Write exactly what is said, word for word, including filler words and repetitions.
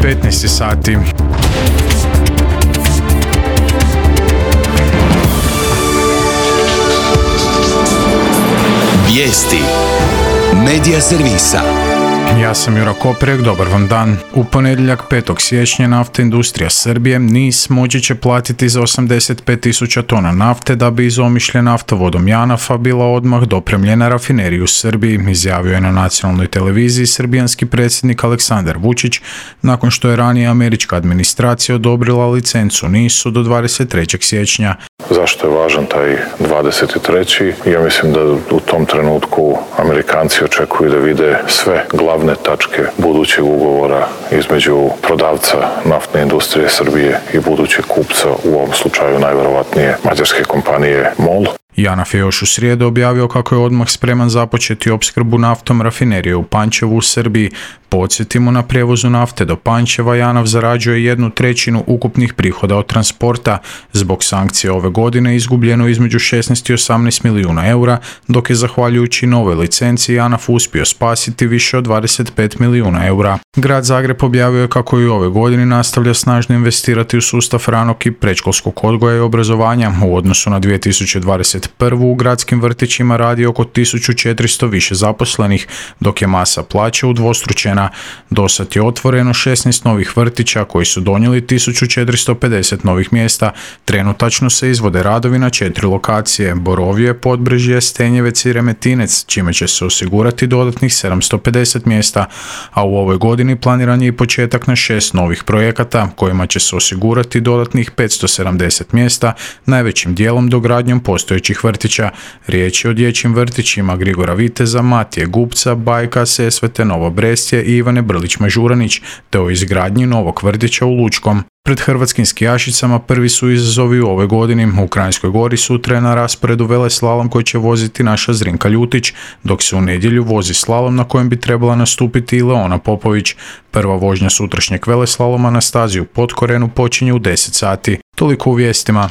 petnaest sati. Vijesti Medija servisa. Ja sam Jura Koprek, dobar vam dan. U ponedjeljak petog siječnja Nafta industrija Srbije N I S moći će platiti za osamdeset pet tisuća tona nafte da bi iz Omišlja naftovodom Janafa bila odmah dopremljena rafineriji u Srbiji, izjavio je na nacionalnoj televiziji srbijanski predsjednik Aleksandar Vučić nakon što je ranije američka administracija odobrila licencu N I S-u do dvadeset trećeg siječnja. Zašto je važan taj dvadeset treći? Ja mislim da u tom trenutku Amerikanci očekuju da vide sve glavne tačke budućeg ugovora između prodavca naftne industrije Srbije i budućeg kupca, u ovom slučaju najverovatnije mađarske kompanije MOL. Janaf je još u srijedu objavio kako je odmah spreman započeti opskrbu naftom rafinerije u Pančevu u Srbiji. Podsjetimo, na prijevozu nafte do Pančeva Janaf zarađuje jednu trećinu ukupnih prihoda od transporta. Zbog sankcije ove godine izgubljeno između šesnaest i osamnaest milijuna eura, dok je zahvaljujući novoj licenciji Janaf uspio spasiti više od dvadeset pet milijuna eura. Grad Zagreb objavio je kako i ove godine nastavlja snažno investirati u sustav ranog i predškolskog odgoja i obrazovanja. U odnosu na dvije tisuće dvadeset prvu u gradskim vrtićima radi oko tisuću četiristo više zaposlenih, dok je masa plaća udvostručena. Dosad je otvoreno šesnaest novih vrtića koji su donijeli tisuću četiristo pedeset novih mjesta. Trenutačno se izvode radovi na četiri lokacije: Borovje, Podbrežje, Stenjevec i Remetinec, čime će se osigurati dodatnih sedamsto pedeset mjesta, a u ovoj godini planiran je i početak na šest novih projekata kojima će se osigurati dodatnih petsto sedamdeset mjesta, najvećim dijelom dogradnjom postojećih vrtića. Riječ je o dječjim vrtićima Grigora Viteza, Matije Gupca, Bajka, Sesvete, Novo Brestje i Ivane Brlić-Mažuranić, te o izgradnji novog vrtića u Lučkom. Pred hrvatskim skijašicama prvi su izazovi u ovoj godini. U Kranjskoj Gori sutra je na rasporedu veleslalom koji će voziti naša Zrinka Ljutić, dok se u nedjelju vozi slalom na kojem bi trebala nastupiti i Leona Popović. Prva vožnja sutrašnjeg veleslaloma na stazi u Potkorenu počinje u deset sati. Toliko u vijestima.